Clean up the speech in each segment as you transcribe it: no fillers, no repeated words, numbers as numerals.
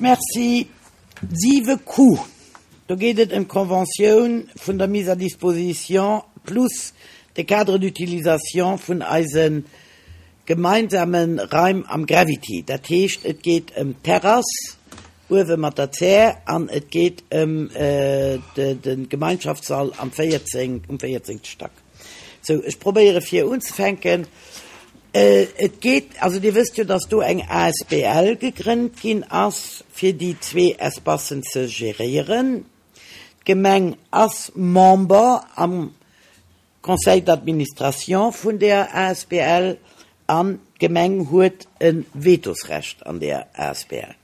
Villmools Merci. 7 Q, Do geet et ëm d'Conventioun vun der Mise à disposition plus de Cadre d'utilisation vun eise gemeinsame Raim am Gravity. Dat heescht, et geet ëm d'Terrass uewe mat der Zär an et geet ëm de Gemeinschaftssall am 14, um 14. Stack. Sou, ech probéiere fir unzefänken. Et geet, also Dir wësst jo, dass do eng asbl gegrënnt ginn ass, fir déi zwee Espacen ze geréieren. D'Gemeng ass Member am Conseil d'administration vun där asbl an d'Gemeng huet e Vetosrecht an där asbl.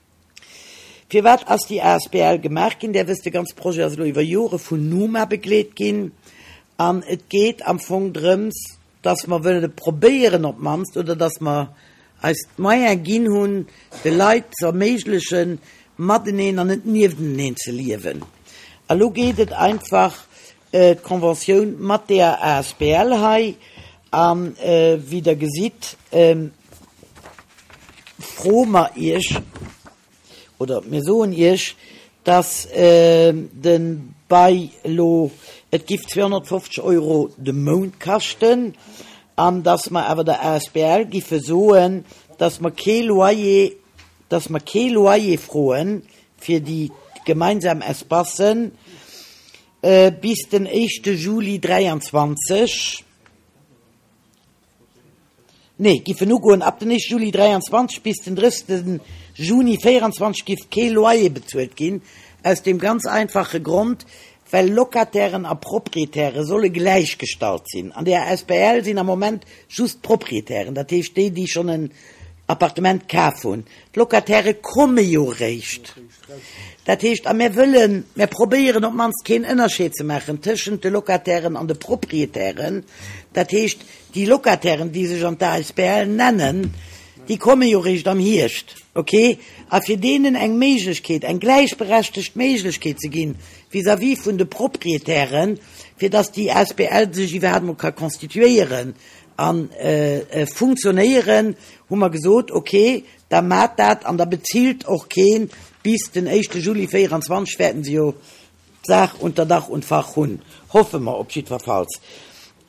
Firwat ass déi asbl gemaach ginn? Där wësst, de ganze Projet ass elo iwwer Jore vun Numa begleet ginn an et geet am Fong drëms, dass mer wëlle probéieren op d'mannst, oder dass mer eis d'Moyen ginn hunn, de Leit ze erméiglechen, mateneen an net niefteneen ze liewen. A lo geet et einfach d'Conventioun mat deeër asbl hei a wéi Der gesitt, froe mer Iech, oder mir soen Iech, dass de Bail elo, et giff 250 Euro de Mount kaschten, an dass mer awer der asbl giffe soen, dass mer kee Loyer, dass mer kee Loyer froe fir déi gemeinsam Espacen bis den éischte Juli 23. Nee, giffen ugoen ab den 1 Juli 23 bis den 30 Juni 24 giff kee Loyer bezuelt ginn, aus deem ganz einfache Grond, well Locatairen a Proprietäre solle gläichgestallt sinn. An der asbl sinn am Moment just d'Proprietären, dat heescht déi, déi schonn en Appartement kaf hunn. D'Locataire komme jo réischt. Dat heescht, a mir wëllen, mir probéieren op d'mannst keen Ënnerscheed ze maachen tëschent de Locatairen an de Proprietären. Dat heescht, déi Locatairen, déi sech an d'ASBL nennen, déi komme jo réischt am Hierscht, okay? A fir deenen eng Méiglechkeet, eng gläichberechtegt Méiglechkeet ze ginn vis-à-vis vun de Proprietären, fir datt déi asbl sech iwwerhaapt emol ka constituéieren a funktionéieren, hu mer gesot, okay, Da maat dat an da bezilt och keen. Bis den éischte Juli 24 wäerten se jo d'Saach unter Dach und Fach hunn, hoffe mer op jiddwerfalls.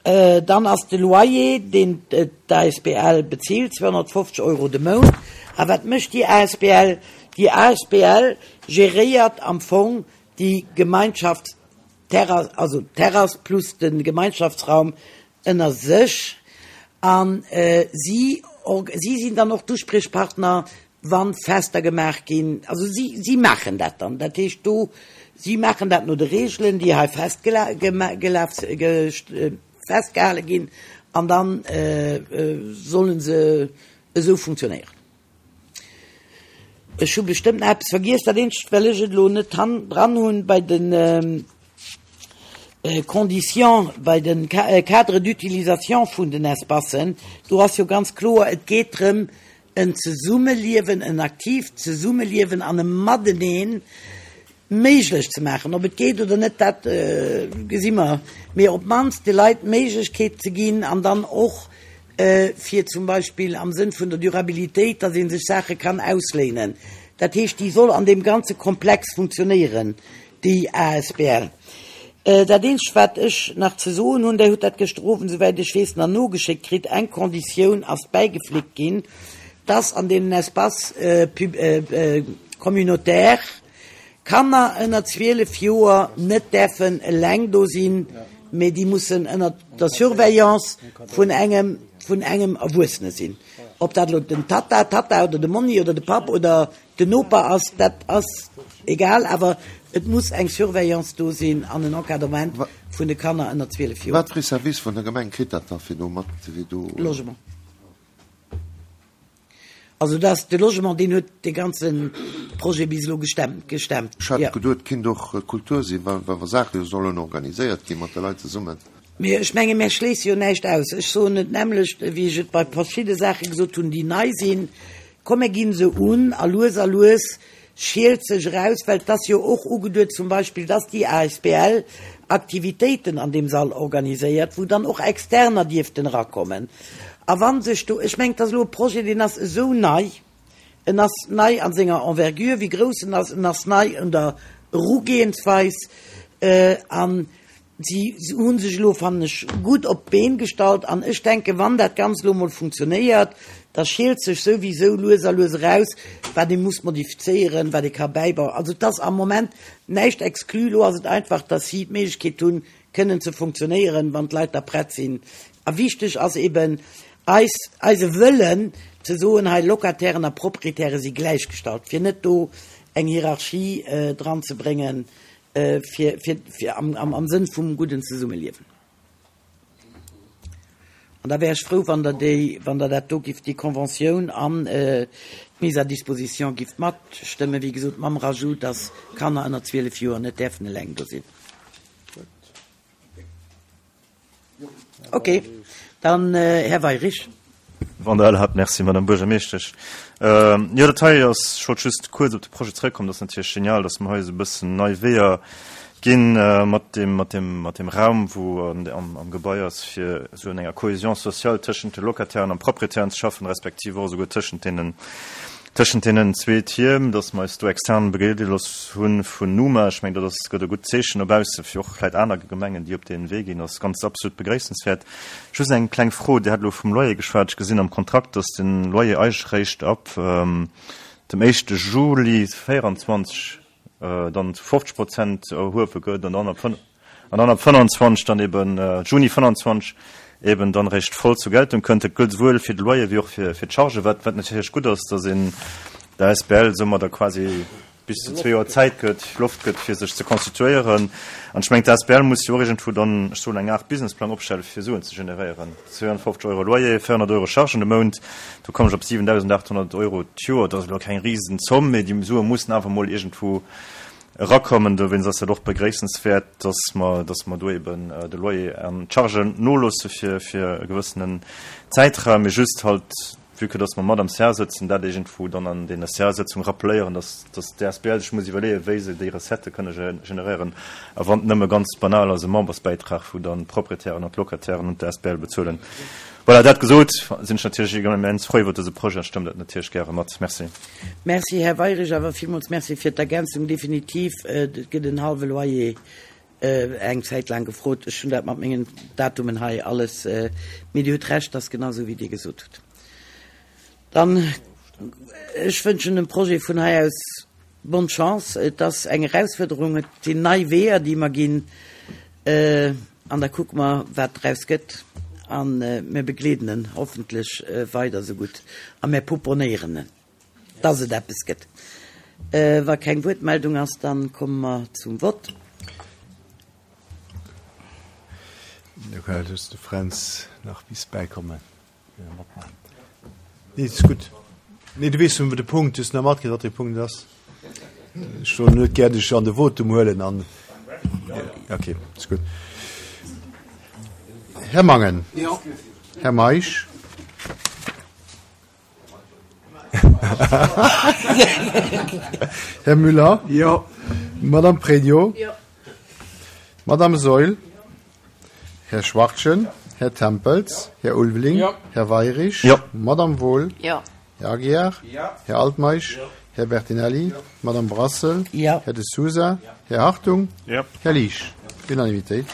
Dann ass de Loyer, deen d'ASBL bezilt, 250 Euro de Mount. A wat mécht déi asbl? Déi asbl geréiert am Fong déi Gemeinschaftsterrass, also d'Terrass plus de Gemeinschaftsraum ënner sech a si si sinn dann och d'Uspriechpartner, wa Fester gemaach ginn. Also si si maachen dat dann. Dat heescht do, si maachen dat no de Reegelen, déi hei festgehale ginn an da solle se esou funktionéieren. Ech hu bestëmmt nach eppes vergiess. Dat eenzegt, well ech et elo net dran hunn, bei de Conditions, bei de Cadres d'utilisation vun den Espacen, do ass jo ganz kloer, et geet drëm, en Zesummeliewen, en aktiivt Zesummeliewen an e Mateneen méiglech ze maachen. Ob et geet oder net, dat gesi mer, mee op d'mannst de Leit d'Méiglechkeet ze ginn an dann och fir zum Beispill am Sënn vun der Durabilitéit, datt ee sech Saache kann ausléinen. Dat heescht, déi soll an deem ganze Komplex funktionéieren, déi asbl. Dat eenzegt, wat ech nach ze soen hunn, Där hutt dat gëschter Owend, souwäit ech weess, nach nogeschéckt kritt, eng Konditioun ass bäigeflickt ginn, dass an deenen Espaces communautaires Kanner ënner 12 Joer net däerfen eleng do sinn, mee déi mussen ënner der Surveillance vun engem vun engem Erwuessene sinn. Ob dat elo den Tatta, d'Tatta oder de Monni oder de Papp oder den Noper ass, dat ass egal, awer et muss eng Surveillance do sinn an en Encadrement vun de Kanner ënner 12 Joer. Wat fir ee Service vun der Gemeng kritt dat da fir do mat, fir do. Logement. Also dat ass de Logement, deen huet dee ganze Projet bis elo gestemmt. Ech hat geduet, et kinnt och Kultur sinn, wa wa Saache jo sollen organiséiert gi mat de Leit zesummen. Mee ech menge mär schléisse jo näischt aus. Ech soen et d'nämmlecht, wéi ech et bei verschidde Saache gesot hunn, déi nei sinn, Komm mir ginn se un a lues a lues schielt sech eraus, well et ass jo och ugeduet zum Beispill, dass déi asbl Aktivitéiten an deem Sall organiséiert, wou dann och Externer dierften erakommen. A wa sech do, ech mengen, et ass elo e Projet, deen ass esou nei. En ass nei a senger Envergure, wéi grouss en ass, en ass nei un der Erugehensweis an si hu sech elo, fannen ech, gutt op d'Been gestallt an ech denken, wann dat Ganzt elo emol funktionéiert, da schielt sech souwisou lues a lues eraus, wat ee muss modifizéieren, wat ee ka bäibauen. Also et ass am Moment näischt exclu. Elo ass et einfach, datt si d'Méiglechkeet hunn, kënnen ze funktionéieren, wann d'Leit da prett sinn. A wichteg ass eben eis, eise Wëllen ze soen, hei Locatairen a Proprietäre si gläichgestallt, fir net do eng Hierarchie dran ze bréngen, fir, fir, fir am, am, am Sënn vum gudden Zesummeliewen. An da wär ech frou, wann Der déi, wann Der dat do gifft, déi Conventioun an d'Mise à disposition gifft matstëmmen, wéi gesot mam Rajout, dass Kanner ënner 12 Joer net däerfen eleng do sinn. Ok, dann Här Weirich. Wann Der erlaabt. Merci, Madame Buergermeeschtesch. Jo, dat hei ass, ech wollt just kuerz op de Projet zrëckkommen, dat ass natierlech genial, dass mer hei esou e bëssen nei Weeër ginn mat deem, mat deem, mat deem Raum, wou an, am Gebai ass, fir esou an enger Cohésion sociale tëschent de Locatairen an Propriétairen ze schaffen, respektiv och esouguer tëschent deenen, Tëschent deenen zwee Tierm, dass mer eis do extern begleede gelooss hu vun Numa, ech mengen, dat ass, gëtt e gutt Zeechen no bausse fir och vläicht aner Gemengen, déi op dee Wee ginn, ass ganz absolut begréissenswäert. Just eng kleng Fro, Dir hat elo vum Loyer geschwat. Ech gesinn am Kontrakt, dass de Loyer eigentlech réischt ab dem éischte Juli 24 dann zu 50 Prozent erhuewe gëtt an dann ab an dann ab 25 dann eben, Juni 25 eben dann eréischt voll zur Geltung kënnt. Dat gëllt esouwuel fir de Loyer wéi och fir d'Chargen, wat wat natierlech gutt ass, dass een der Asbl soumadder quasi bis zu zwee Joer Zäit gëtt, Loft gëtt, fir sech ze constituéieren. An ech mengen, d'Asbl muss jo och iergendwou dann, ech soen, eng Aart Businessplang opstellen, fir Suen ze generéieren. 52 Euro Loyer, 400 Euro Chargen de Mount, do kommen ech op 7.800 Euro d'Joer. Dat ass elo keng Risenzomm, mee déi Sue mussen awer emol iergendwou erakommen. Dowéinst ass dat och begréissenswäert, dass mer, dass mer do eben de Loyer an d'Chargen noloosse fir, fir e gewëssenen Zäitraum, mee just halt, vue que dass mer mat am CA sëtzen, dat iergendwou dann an deene CA-Sëtzung rappeléieren, dass, dass d'ASBL sech muss iwwerleeën, wéi se déi Recettë kënne generéieren, a wann et nëmme ganz banal ass e Membersbäitrag, wou dann d'Proprietären an d'Locatairen un d'ASBL bezuelen. Voilà, dat gesot, sinn ech natierlech immens frou iwwert dëse Projet a stëmmen dat natierlech gäre mat. Merci. Merci, Här Weirich, awer villmools Merci fir d'Ergänzung. Definitiv, et gëtt en hallwe Loyer eng Zäit laang gefrot. Ech hunn dat mat mengen Datumen hei alles, mee Dir hutt Recht, ass genau esou wéi Dir gesot hutt. Dann, ech wënschen dem Projet vun hei aus bonne Chance. Et ass eng Erausfuerderung, et sinn nei Weeër, déi mer ginn, an da kucke mer, wat draus gëtt. A mir begleeden en hoffentlech weider esou gutt a mir pouponnéieren en. Dass et eppes gëtt. Wa keng Wuertmeldung ass, da komme mer zum Vott. Do kann just de Fränz nach bis bäikommen. Nee, ist gutt. Nee, du weess de Punkt, du hues nach matkritt, wat de Punkt ass. Ech wollt net gär dech an de Votum huelen an. Okay, ist gutt. Här Mangen. Jo. Här Meisch. Här Müller. Jo. Madame Pregno. Jo. Madame Saeul. Här Schwachtgen. Här Tempels. Här Ulveling. Jo. Här Weirich. Jo. Madame Wohl. Jo. Här Aguiar. Jo. Här Altmeisch. Jo. Här Bertinelli. Jo. Madame Brassel. Jo. Här De Sousa. Här Hartung. Jo. Här Liesch. Unanimitéit.